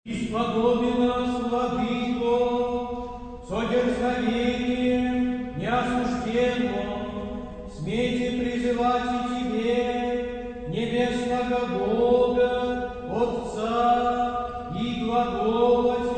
Исподоби нас, Владыко, со дерзновением неосужденно, смейте призывать и Тебе, небесного Бога, Отца, и глаголать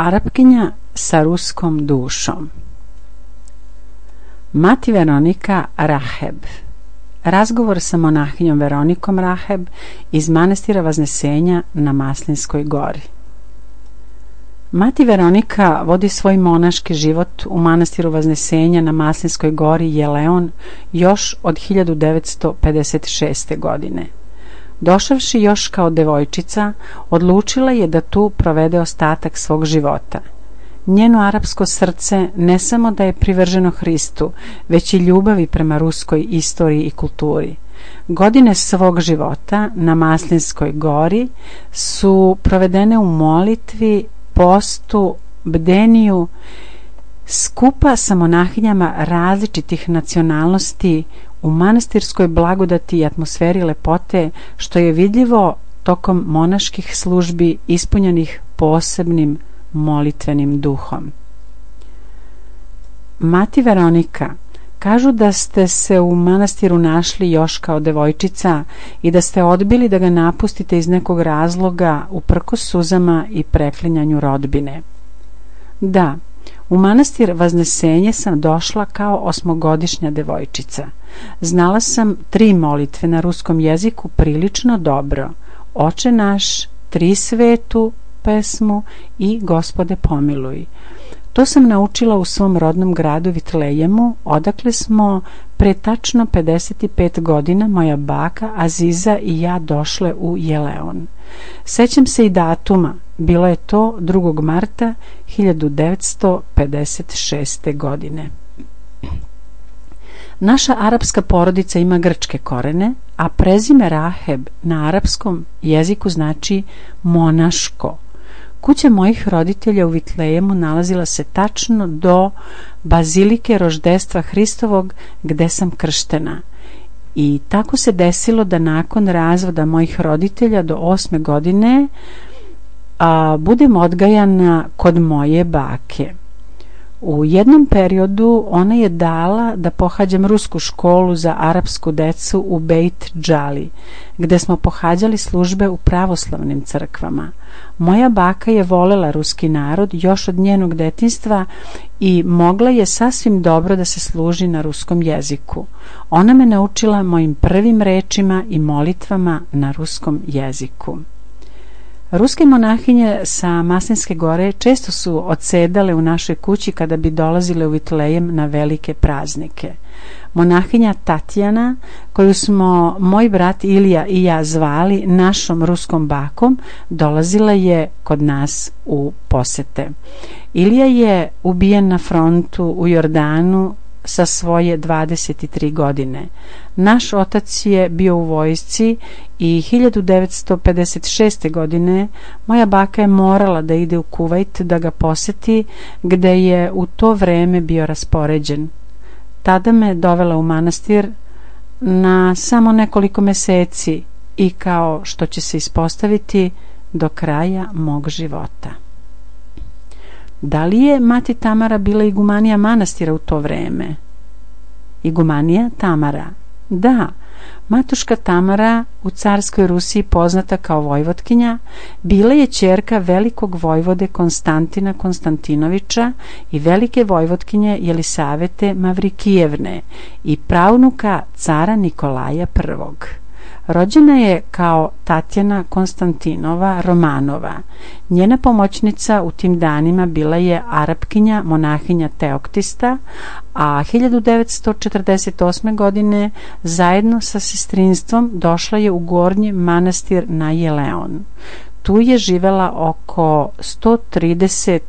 Arapkinja sa ruskom dušom. Mati Veronika Raheb. Razgovor sa monahinjom Veronikom Raheb iz manastira Vaznesenja na Maslinskoj gori. Mati Veronika vodi svoj monaški život u manastiru Vaznesenja na Maslinskoj gori Jeleon još od 1956. godine. Došavši još kao devojčica, odlučila je da tu provede ostatak svog života. Njeno arapsko srce ne samo da je privrženo Hristu, već i ljubavi prema ruskoj istoriji i kulturi. Godine svog života na Maslinskoj gori su provedene u molitvi, postu, bdeniju, skupa sa monahinjama različitih nacionalnosti u manastirskoj blagodati i atmosferi lepote, što je vidljivo tokom monaških službi ispunjenih posebnim molitvenim duhom. Mati Veronika, kažu da ste se u manastiru našli još kao devojčica i da ste odbili da ga napustite iz nekog razloga uprkos suzama i preklinjanju rodbine. Da, U manastir Vaznesenje sam došla kao 8-godišnja devojčica. Znala sam 3 molitve na ruskom jeziku prilično dobro. Oče naš, Tri svetu pesmu i Gospode pomiluj. To sam naučila u svom rodnom gradu Vitlejemu, odakle smo pre tačno 55 godina moja baka Aziza i ja došle u Jeleon. Sećam se i datuma, bilo je to 2. marta 1956. godine. Naša arapska porodica ima grčke korene, a prezime Raheb na arapskom jeziku znači monaško. Kuća mojih roditelja u Vitlejemu nalazila se tačno do bazilike Roždestva Hristovog gde sam krštena. I tako se desilo da nakon razvoda mojih roditelja do 8. godine budem odgajana kod moje bake. U jednom periodu ona je dala da pohađam rusku školu za arapsku decu u Beit Džali, gde smo pohađali službe u pravoslavnim crkvama. Moja baka je volela ruski narod još od njenog detinjstva i mogla je sasvim dobro da se služi na ruskom jeziku. Ona me naučila mojim prvim rečima i molitvama na ruskom jeziku. Ruske monahinje sa Maslinske gore često su odsedale u našoj kući kada bi dolazile u Vitlejem na velike praznike. Monahinja Tatjana, koju smo moj brat Ilija i ja zvali našom ruskom bakom, dolazila je kod nas u posete. Ilija je ubijen na frontu u Jordanu sa svoje 23 godine. Naš otac je bio u vojsci i 1956. godine moja baka je morala da ide u Kuvajt da ga poseti, gde je u to vreme bio raspoređen. Tada me dovela u manastir na samo nekoliko meseci i, kao što će se ispostaviti, do kraja mog života. Da li je mati Tamara bila igumanija manastira u to vreme? Igumanija Tamara? Da, matuška Tamara, u carskoj Rusiji poznata kao vojvotkinja, bila je ćerka velikog vojvode Konstantina Konstantinovića i velike vojvotkinje Jelisavete Mavrikijevne i pravnuka cara Nikolaja I. Rođena je kao Tatjana Konstantinova Romanova. Njena pomoćnica u tim danima bila je Arapkinja monahinja Teoktista, a 1948. godine zajedno sa sestrinstvom došla je u gornji manastir na Jeleon. Tu je živela oko 130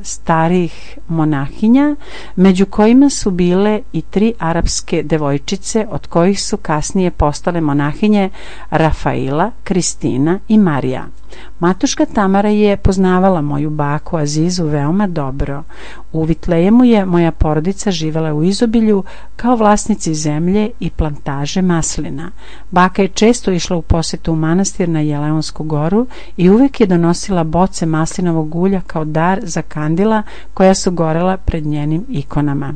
starih monahinja, među kojima su bile i 3 arapske devojčice, od kojih su kasnije postale monahinje Rafaila, Kristina i Marija. Matuška Tamara je poznavala moju baku Azizu veoma dobro. U Vitlejemu je moja porodica živela u izobilju kao vlasnici zemlje i plantaže maslina. Baka je često išla u posetu u manastir na Jeleonsku goru i uvek je donosila boce maslinovog ulja kao dar za kandila koja su gorela pred njenim ikonama.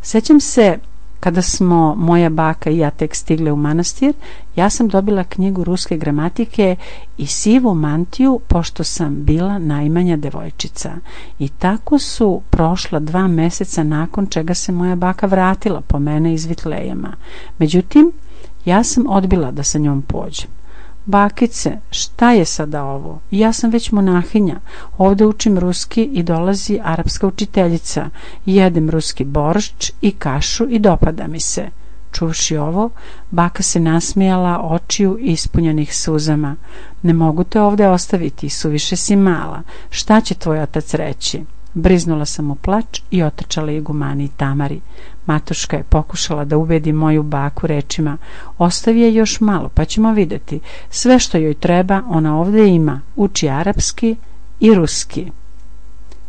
Sećam se, kada smo moja baka i ja tek stigle u manastir, ja sam dobila knjigu ruske gramatike i sivu mantiju, pošto sam bila najmanja devojčica. I tako su prošla 2 meseca nakon čega se moja baka vratila po mene iz Vitlejema. Međutim, ja sam odbila da sa njom pođem. Bakice, šta je sada ovo? Ja sam već monahinja, ovde učim ruski i dolazi arapska učiteljica, jedem ruski boršč i kašu i dopada mi se. Čuvši ovo, baka se nasmijala očiju ispunjenih suzama. Ne mogu te ovde ostaviti, suviše si mala. Šta će tvoj otac reći? Briznula sam u plač i otrčala igumani Tamari. Matuška je pokušala da ubedi moju baku rečima: ostavi je još malo, pa ćemo videti. Sve što joj treba ona ovde ima, uči arapski i ruski.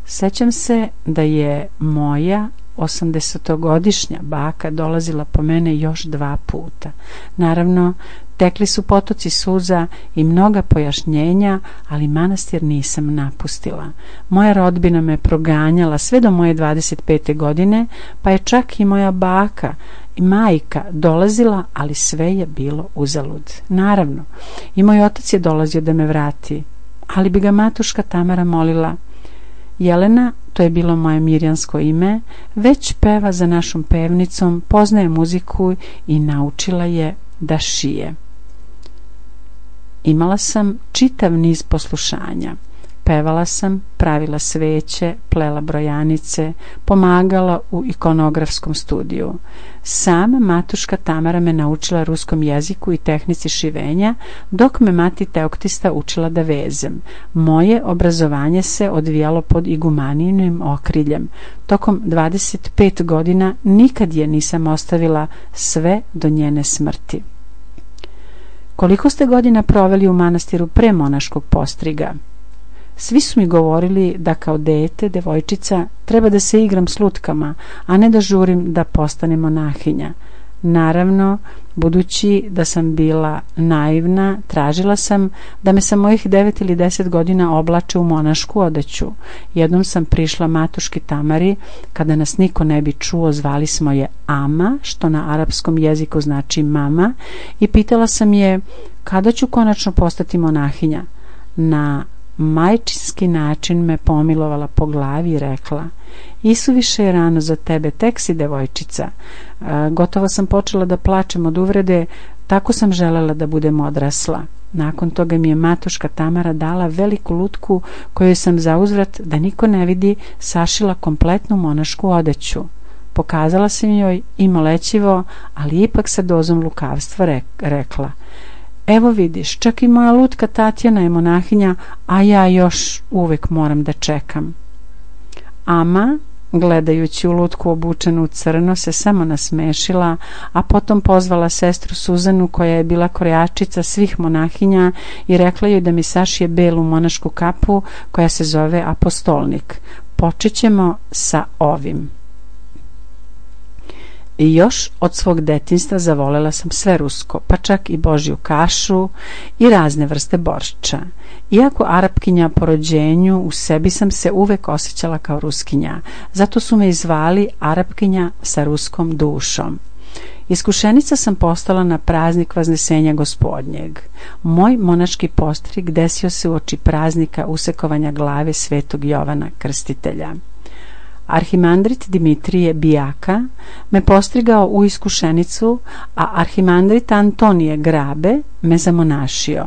Sećam se da je moja 80-godišnja baka dolazila po mene još 2 puta. Naravno, tekli su potoci suza i mnoga pojašnjenja, ali manastir nisam napustila. Moja rodbina me proganjala sve do moje 25. godine, pa je čak i moja baka i majka dolazila, ali sve je bilo uzalud. Naravno, i moj otac je dolazio da me vrati, ali bi ga matuška Tamara molila: Jelena, to je bilo moje mirjansko ime, već peva za našom pevnicom, poznaje muziku i naučila je da šije. Imala sam čitav niz poslušanja. Pevala sam, pravila sveće, plela brojanice, pomagala u ikonografskom studiju. Sama matuška Tamara me naučila ruskom jeziku i tehnici šivenja, dok me mati Teoktista učila da vezem. Moje obrazovanje se odvijalo pod igumanijinim okriljem. Tokom 25 godina nikad je nisam ostavila, sve do njene smrti. Koliko ste godina proveli u manastiru pre monaškog postriga? Svi su mi govorili da kao dete, devojčica, treba da se igram s lutkama, a ne da žurim da postanem monahinja. Naravno, budući da sam bila naivna, tražila sam da me sa mojih 9 ili 10 godina oblače u monašku odeću. Jednom sam prišla matuški Tamari, kada nas niko ne bi čuo, zvali smo je Ama, što na arapskom jeziku znači mama, i pitala sam je kada ću konačno postati monahinja. Na majčinski način me pomilovala po glavi i rekla: isuviše je rano za tebe, tek si devojčica. Gotovo sam počela da plačem od uvrede, tako sam želela da budem odrasla. Nakon toga mi je matuška Tamara dala veliku lutku koju sam zauzvrat, da niko ne vidi, sašila kompletnu monašku odeću. Pokazala sam joj i molećivo, ali ipak sa dozom lukavstva rekla: evo vidiš, čak i moja lutka Tatjana je monahinja, a ja još uvek moram da čekam. Ama, gledajući u lutku obučenu u crno, se samo nasmešila, a potom pozvala sestru Suzanu, koja je bila krojačica svih monahinja, i rekla joj da mi sašije belu monašku kapu koja se zove apostolnik. Počet ćemo sa ovim. I još od svog detinjstva zavolela sam sve rusko, pa čak i božju kašu i razne vrste boršča. Iako Arapkinja po rođenju, u sebi sam se uvek osjećala kao Ruskinja, zato su me i zvali Arapkinja sa ruskom dušom. Iskušenica sam postala na praznik Vaznesenja Gospodnjeg. Moj monaški postrig desio se uoči praznika usekovanja glave svetog Jovana Krstitelja. Arhimandrit Dimitrije Bijaka me postrigao u iskušenicu, a arhimandrit Antonije Grabe me zamonašio.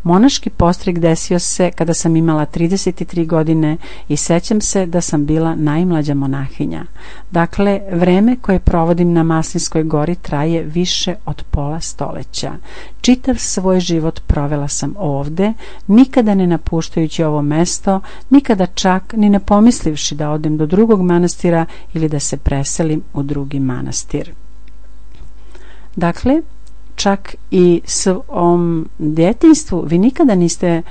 Monaški postrig desio se kada sam imala 33 godine i sećam se da sam bila najmlađa monahinja. Dakle, vreme koje provodim na Maslinskoj gori traje više od pola stoleća. Čitav svoj život provela sam ovde, nikada ne napuštajući ovo mesto, nikada čak ni ne pomislivši da odem do drugog manastira ili da se preselim u drugi manastir. Dakle, čak i svom djetinjstvu vi nikada niste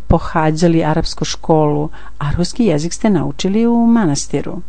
pohađali arapsku školu, a ruski jezik ste naučili u manastiru.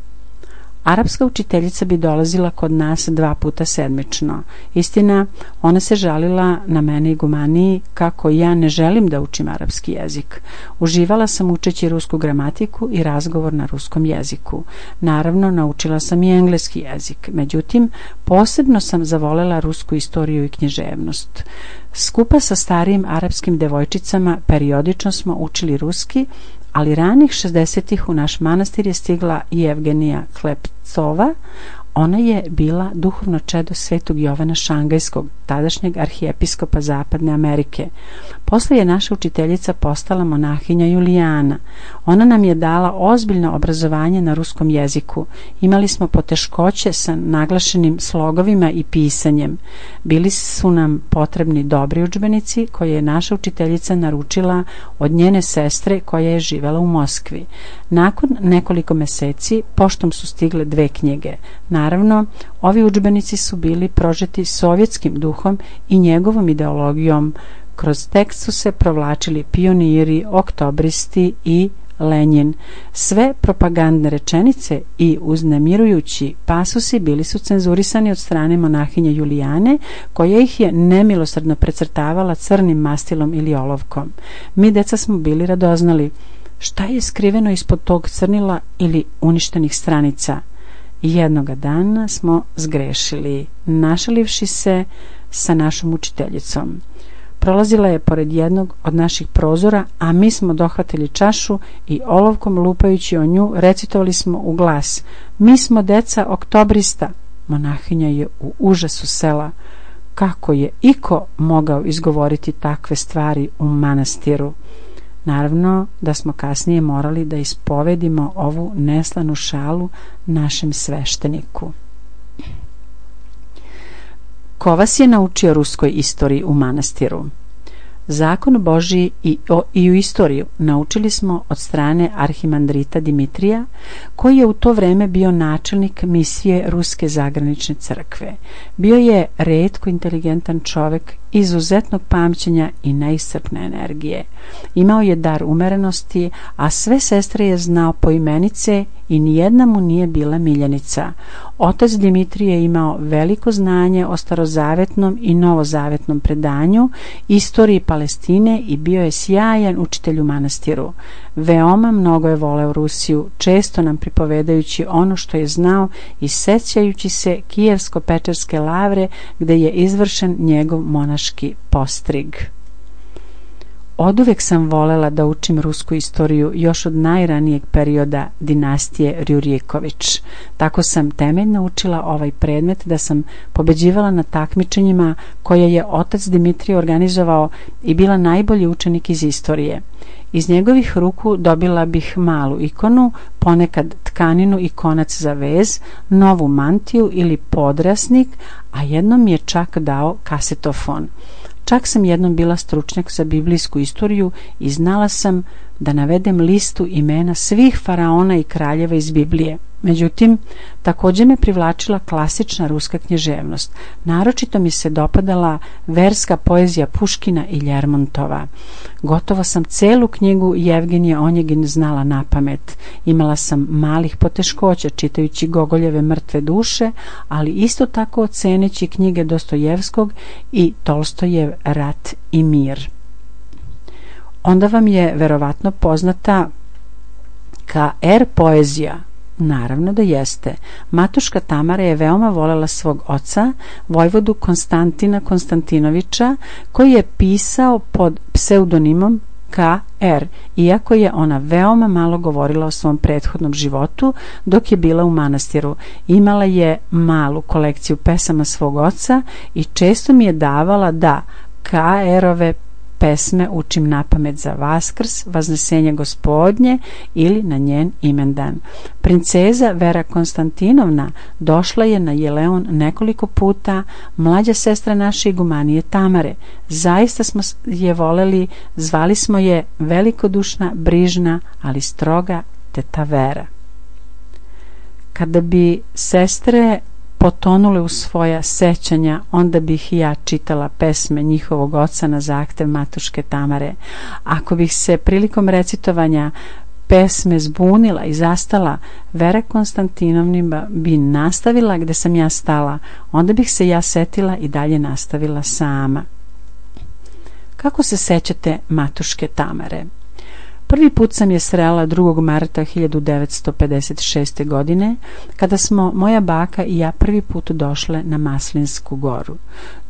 Arapska učiteljica bi dolazila kod nas 2 puta sedmično. Istina, ona se žalila na mene igumaniji kako ja ne želim da učim arapski jezik. Uživala sam učeći rusku gramatiku i razgovor na ruskom jeziku. Naravno, naučila sam i engleski jezik. Međutim, posebno sam zavolela rusku istoriju i književnost. Skupa sa starijim arapskim devojčicama periodično smo učili ruski, ali ranih 60-ih u naš manastir je stigla i Evgenija Klepcova. Ona je bila duhovno čedo svetog Jovana Šangajskog, tadašnjeg arhijepiskopa Zapadne Amerike. Posle je naša učiteljica postala monahinja Julijana. Ona nam je dala ozbiljno obrazovanje na ruskom jeziku. Imali smo poteškoće sa naglašenim slogovima i pisanjem. Bili su nam potrebni dobri udžbenici koje je naša učiteljica naručila od njene sestre koja je živela u Moskvi. Nakon nekoliko meseci poštom su stigle 2 knjige. Naravno, ovi udžbenici su bili prožeti sovjetskim duhom i njegovom ideologijom. Kroz tekst su se provlačili pioniri, oktobristi i Lenjin. Sve propagandne rečenice i uznemirujući pasusi bili su cenzurisani od strane monahinje Julijane, koja ih je nemilosrdno precrtavala crnim mastilom ili olovkom. Mi, deca, smo bili radoznali. Šta je skriveno ispod tog crnila ili uništenih stranica? Jednoga dana smo zgrešili, našalivši se sa našom učiteljicom. prolazila je pored jednog od naših prozora, a mi smo dohvatili čašu i olovkom lupajući o nju recitovali smo u glas: mi smo deca oktobrista. Monahinja je u užasu sela. Kako je iko mogao izgovoriti takve stvari u manastiru? Naravno da smo kasnije morali da ispovedimo ovu neslanu šalu našem svešteniku. Ko vas je naučio ruskoj istoriji u manastiru? Zakon Božji i u istoriju naučili smo od strane arhimandrita Dimitrija, koji je u to vreme bio načelnik misije Ruske zagranične crkve. Bio je retko inteligentan čovek, izuzetnog pamćenja i neiscrpne energije. Imao je dar umerenosti, a sve sestre je znao poimenice i nijedna mu nije bila miljenica. Otac Dimitrij je imao veliko znanje o starozavetnom i novozavetnom predanju, istoriji Palestine i bio je sjajan učitelj u manastiru. Veoma mnogo je voleo Rusiju, često nam pripovedajući ono što je znao i sećajući se Kijevsko-Pečerske lavre gde je izvršen njegov monaški postrig. Oduvek sam volela da učim rusku istoriju još od najranijeg perioda dinastije Rjuriković. Tako sam temeljno učila ovaj predmet da sam pobeđivala na takmičenjima koje je otac Dimitrij organizovao i bila najbolji učenik iz istorije. Iz njegovih ruku dobila bih malu ikonu, ponekad tkaninu i konac za vez, novu mantiju ili podrasnik, a jednom mi je čak dao kasetofon. Čak sam jednom bila stručnjak za biblijsku istoriju i znala sam da navedem listu imena svih faraona i kraljeva iz Biblije. Međutim, također me privlačila klasična ruska književnost. Naročito mi se dopadala verska poezija Puškina i Ljermontova. Gotovo sam celu knjigu Jevgenije Onjegin znala napamet. Imala sam malih poteškoća čitajući Gogoljeve Mrtve duše, ali isto tako oceneći knjige Dostojevskog i Tolstojev Rat i mir. Onda vam je verovatno poznata KR poezija. Naravno da jeste. Matuška Tamara je veoma volela svog oca, vojvodu Konstantina Konstantinovića, koji je pisao pod pseudonimom KR, iako je ona veoma malo govorila o svom prethodnom životu dok je bila u manastiru. Imala je malu kolekciju pesama svog oca i često mi je davala da KR-ove pesme učim napamet za Vaskrs, Vaznesenje Gospodnje ili na njen imendan. Princeza Vera Konstantinovna došla je na Jeleon nekoliko puta, mlađa sestra naše igumanije Tamare. Zaista smo je voleli, zvali smo je velikodušna, brižna, ali stroga teta Vera. Kada bi sestre potonule u svoja sećanja, onda bih i ja čitala pesme njihovog oca na zahtev matuške Tamare. Ako bih se prilikom recitovanja pesme zbunila i zastala, Vera Konstantinovna bi nastavila gde sam ja stala, onda bih se ja setila i dalje nastavila sama. Kako se sećate matuške Tamare? Prvi put sam je srela 2. marta 1956. godine, kada smo moja baka i ja prvi put došle na Maslinsku goru.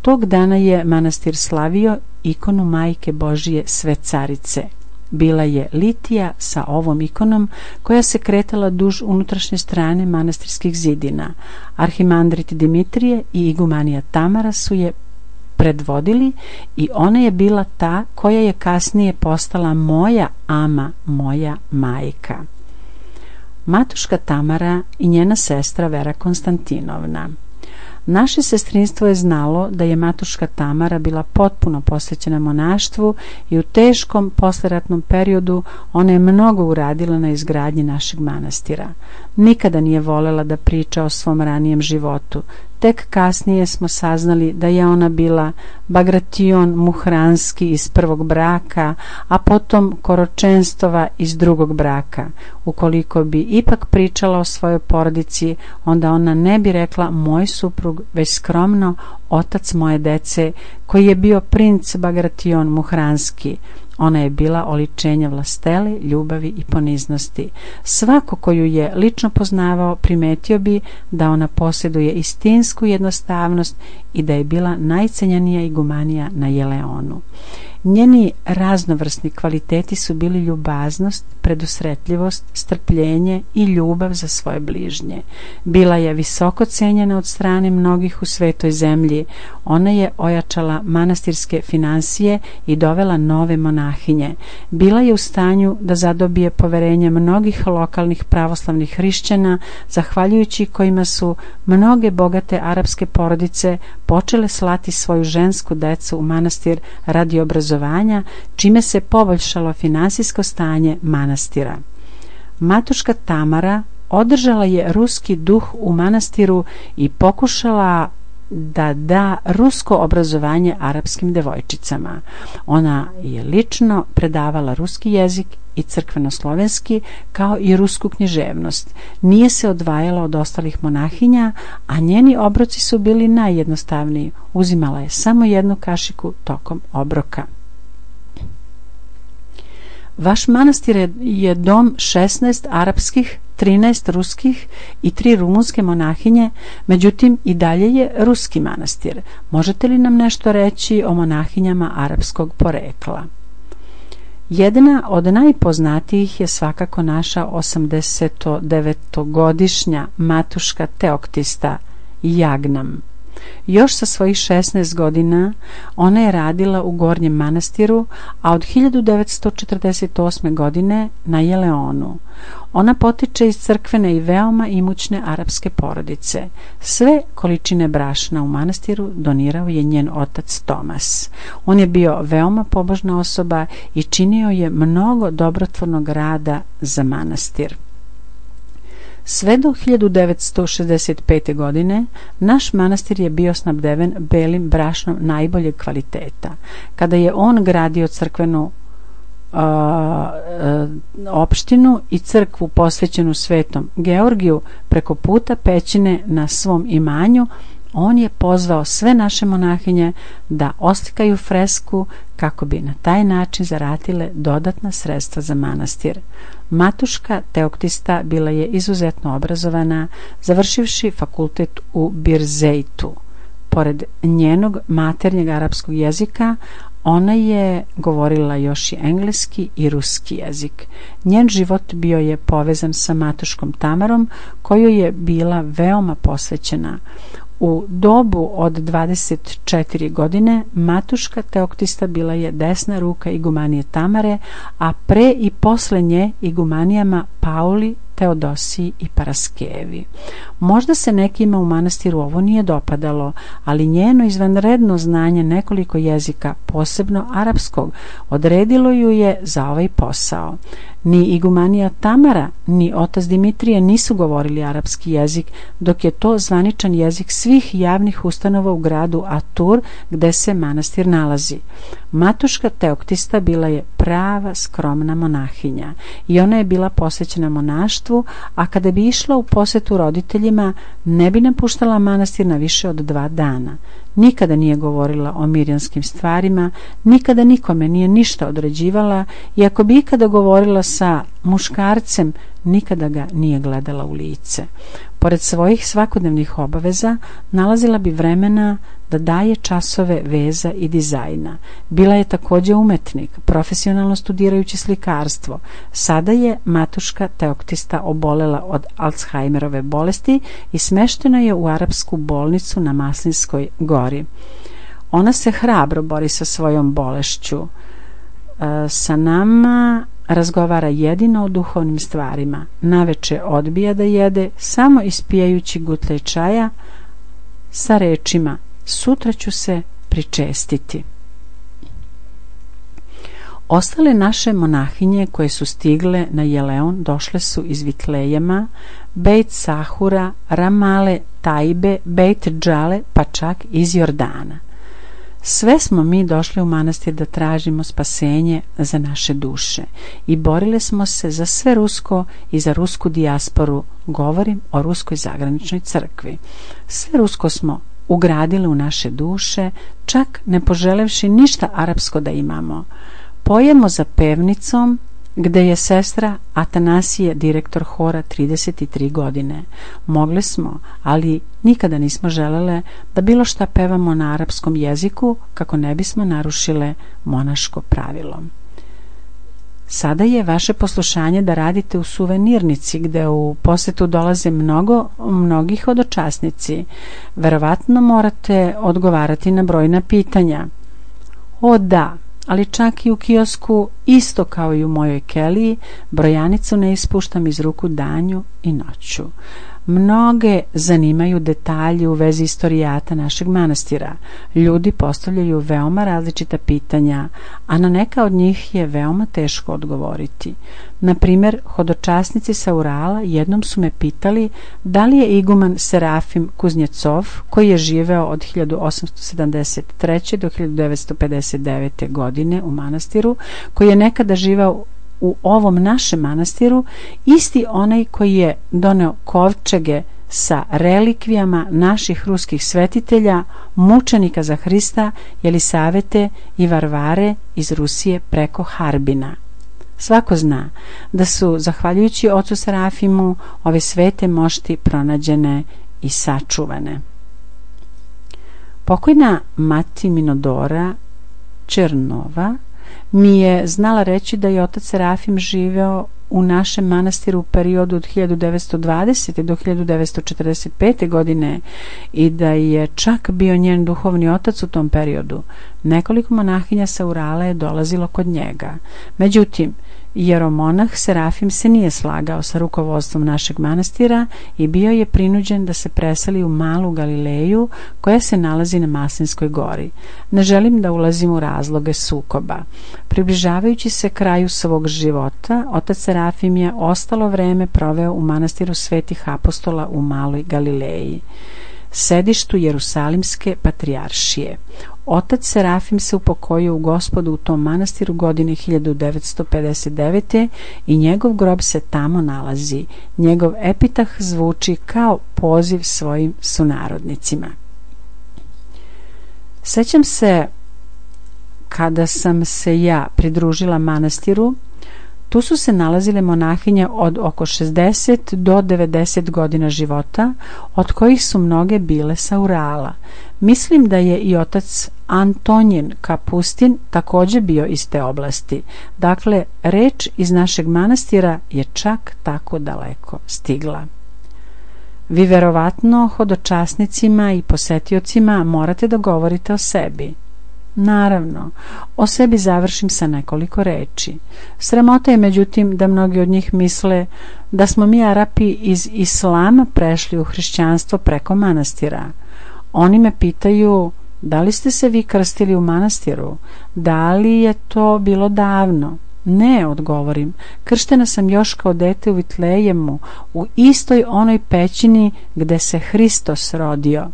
Tog dana je manastir slavio ikonu Majke Božije Sve Carice. Bila je litija sa ovom ikonom koja se kretala duž unutrašnje strane manastirskih zidina. Arhimandrit Dimitrije i igumanija Tamara su je predvodili i ona je bila ta koja je kasnije postala moja ama, moja majka. Matuška Tamara i njena sestra Vera Konstantinovna. Naše sestrinstvo je znalo da je matuška Tamara bila potpuno posvećena monaštvu i u teškom posleratnom periodu ona je mnogo uradila na izgradnji našeg manastira. Nikada nije volela da priča o svom ranijem životu. Tek kasnije smo saznali da je ona bila Bagration Muhranski iz prvog braka, a potom Koročenstova iz drugog braka. Ukoliko bi ipak pričala o svojoj porodici, onda ona ne bi rekla moj suprug, već skromno otac moje dece, koji je bio princ Bagration Muhranski. Ona je bila oličenje vlastele, ljubavi i poniznosti. Svako koju je lično poznavao primetio bi da ona posjeduje istinsku jednostavnost i da je bila najcenjenija igumanija na Jeleonu. Njeni raznovrsni kvaliteti su bili ljubaznost, predusretljivost, strpljenje i ljubav za svoje bližnje. Bila je visoko cijenjena od strane mnogih u svetoj zemlji. Ona je ojačala manastirske finansije i dovela nove monahinje. Bila je u stanju da zadobije poverenje mnogih lokalnih pravoslavnih hrišćana, zahvaljujući kojima su mnoge bogate arapske porodice počele slati svoju žensku decu u manastir radi obrazovanja, čime se poboljšalo finansijsko stanje manastira. Matuška Tamara održala je ruski duh u manastiru i pokušala da da rusko obrazovanje arapskim devojčicama. Ona je lično predavala ruski jezik i crkveno-slovenski, kao i rusku književnost. Nije se odvajala od ostalih monahinja, a njeni obroci su bili najjednostavniji. Uzimala je samo jednu kašiku tokom obroka. Vaš manastir je dom 16 arapskih, 13 ruskih i 3 rumunske monahinje, međutim i dalje je ruski manastir. Možete li nam nešto reći o monahinjama arapskog porekla? Jedna od najpoznatijih je svakako naša 89-godišnja matuška Teoktista Jagnam. Još sa svojih 16 godina ona je radila u Gornjem manastiru, a od 1948. godine na Jeleonu. Ona potiče iz crkvene i veoma imućne arapske porodice. Sve količine brašna u manastiru donirao je njen otac Tomas. On je bio veoma pobožna osoba i činio je mnogo dobrotvornog rada za manastir. Sve do 1965. godine naš manastir je bio snabdeven belim brašnom najboljeg kvaliteta. Kada je on gradio crkvenu opštinu i crkvu posvećenu Svetom Georgiju preko puta pećine na svom imanju, on je pozvao sve naše monahinje da oslikaju fresku kako bi na taj način zaratile dodatna sredstva za manastir. Matuška Teoktista bila je izuzetno obrazovana, završivši fakultet u Birzeitu. Pored njenog maternjeg arapskog jezika, ona je govorila još i engleski i ruski jezik. Njen život bio je povezan sa Matuškom Tamarom, koju je bila veoma posvećena. U dobu od 24 godine Matuška Teoktista bila je desna ruka igumanije Tamare, a pre i posle nje igumanijama Pauli, Teodosiji i Paraskevi. Možda se nekima u manastiru ovo nije dopadalo, ali njeno izvanredno znanje nekoliko jezika, posebno arapskog, odredilo ju je za ovaj posao. Ni igumanija Tamara, ni otac Dimitrije nisu govorili arapski jezik, dok je to zvaničan jezik svih javnih ustanova u gradu Atur, gde se manastir nalazi. Matuška Teoktista bila je prava skromna monahinja i ona je bila posvećena monaštvu, a kada bi išla u posetu roditeljima, ne bi napuštala manastir na više od 2 dana. Nikada nije govorila o mirjanskim stvarima, nikada nikome nije ništa određivala i ako bi ikada govorila sa muškarcem, nikada ga nije gledala u lice. Pored svojih svakodnevnih obaveza, nalazila bi vremena da daje časove veza i dizajna. Bila je također umetnik, profesionalno studirajući slikarstvo. Sada je Matuška Teoktista obolela od Alzheimerove bolesti i smeštena je u arapsku bolnicu na Maslinskoj gori. Ona se hrabro bori sa svojom bolešću. Sa nama razgovara jedino o duhovnim stvarima. Naveče odbija da jede, samo ispijajući gutlej čaja sa rečima: sutra ću se pričestiti. Ostale naše monahinje koje su stigle na Jeleon došle su iz Vitlejema, Bejt Sahura, Ramale, Tajbe, Bejt Džale, pa čak iz Jordana. Sve smo mi došli u manastir da tražimo spasenje za naše duše i borile smo se za sve rusko i za rusku dijasporu. Govorim o ruskoj zagraničnoj crkvi. Sve rusko smo ugradili u naše duše, čak ne poželevši ništa arapsko da imamo. Pojemo za pevnicom, gde je sestra Atanasije direktor hora 33 godine. Mogle smo, ali nikada nismo želele da bilo šta pevamo na arapskom jeziku kako ne bismo narušile monaško pravilo. Sada je vaše poslušanje da radite u suvenirnici gde u posetu dolaze mnogi hodočasnici. Verovatno morate odgovarati na brojna pitanja. O da, ali čak i u kiosku, isto kao i u mojoj keliji, brojanicu ne ispuštam iz ruku danju i noću. Mnoge zanimaju detalji u vezi istorijata našeg manastira. Ljudi postavljaju veoma različita pitanja, a na neka od njih je veoma teško odgovoriti. Na primjer, hodočasnici sa Urala jednom su me pitali da li je iguman Serafim Kuznjecov, koji je živeo od 1873. do 1959. godine u manastiru, koji je nekada živeo u ovom našem manastiru, isti onaj koji je doneo kovčege sa relikvijama naših ruskih svetitelja, mučenika za Hrista, Jelisavete i Varvare iz Rusije preko Harbina. Svako zna da su, zahvaljujući ocu Serafimu, ove svete mošti pronađene i sačuvane. Pokojna mati Minodora Černova mi je znala reći da je otac Serafim živeo u našem manastiru u periodu od 1920. do 1945. godine i da je čak bio njen duhovni otac u tom periodu. Nekoliko monahinja sa Urala je dolazilo kod njega. Međutim, jeromonah Serafim se nije slagao sa rukovodstvom našeg manastira i bio je prinuđen da se preseli u Malu Galileju koja se nalazi na Maslinskoj gori. Ne želim da ulazim u razloge sukoba. Približavajući se kraju svog života, otac Serafim je ostalo vreme proveo u manastiru Svetih apostola u Maloj Galileji, sedištu Jerusalimske patrijaršije. Otac Serafim se upokojio u Gospodu u tom manastiru godine 1959. i njegov grob se tamo nalazi. Njegov epitah zvuči kao poziv svojim sunarodnicima. Sećam se kada sam se ja pridružila manastiru, tu su se nalazile monahinje od oko 60 do 90 godina života, od kojih su mnoge bile sa Urala. Mislim da je i otac Antonjin Kapustin također bio iz te oblasti. Dakle, reč iz našeg manastira je čak tako daleko stigla. Vi verovatno hodočasnicima i posetiocima morate da govorite o sebi. Naravno, o sebi završim sa nekoliko reči. Sramota je međutim da mnogi od njih misle da smo mi Arapi iz Islama prešli u hrišćanstvo preko manastira. Oni me pitaju: da li ste se vi krstili u manastiru? Da li je to bilo davno? Ne, odgovorim, krštena sam još kao dete u Vitlejemu, u istoj onoj pećini gde se Hristos rodio.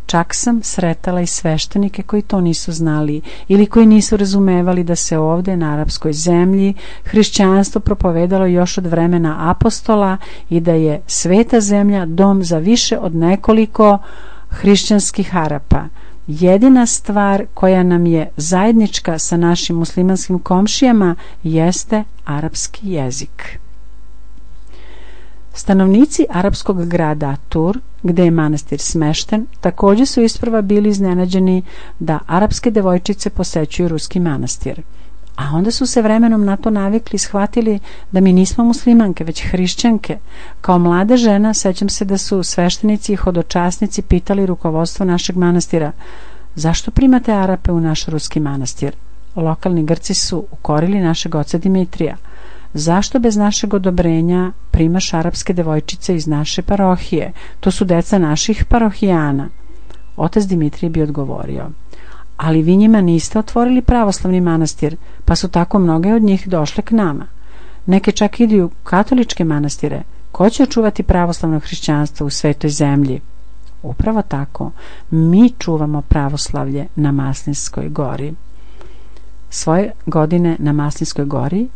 Čak sam sretala i sveštenike koji to nisu znali ili koji nisu razumevali da se ovde na arapskoj zemlji hrišćanstvo propovedalo još od vremena apostola i da je sveta zemlja dom za više od nekoliko hrišćanskih Arapa. Jedina stvar koja nam je zajednička sa našim muslimanskim komšijama jeste arapski jezik. Stanovnici arapskog grada Atur, gde je manastir smešten, također su isprva bili iznenađeni da arapske devojčice posećuju ruski manastir. A onda su se vremenom na to navikli i shvatili da mi nismo muslimanke, već hrišćanke. Kao mlada žena sećam se da su sveštenici i hodočasnici pitali rukovodstvo našeg manastira: zašto primate Arape u naš ruski manastir? Lokalni Grci su ukorili našeg oca Dimitrija. Zašto bez našeg odobrenja primaš arapske devojčice iz naše parohije? To su deca naših parohijana. Otac Dimitrij bi odgovorio: ali vi njima niste otvorili pravoslavni manastir, pa su tako mnoge od njih došle k nama. Neke čak idu u katoličke manastire. Ko će očuvati pravoslavno hrišćanstvo u svetoj zemlji? Upravo tako, mi čuvamo pravoslavlje na Maslinskoj gori. Svoje godine na Maslinskoj gori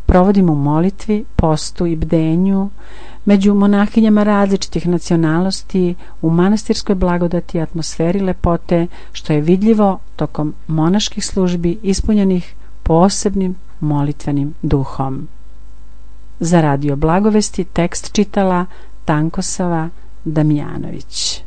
provodimo u molitvi, postu i bdenju, među monahinjama različitih nacionalnosti, u manastirskoj blagodati i atmosferi lepote, što je vidljivo tokom monaških službi ispunjenih posebnim molitvenim duhom. Za Radio Blagovesti tekst čitala Tankosava Damjanović.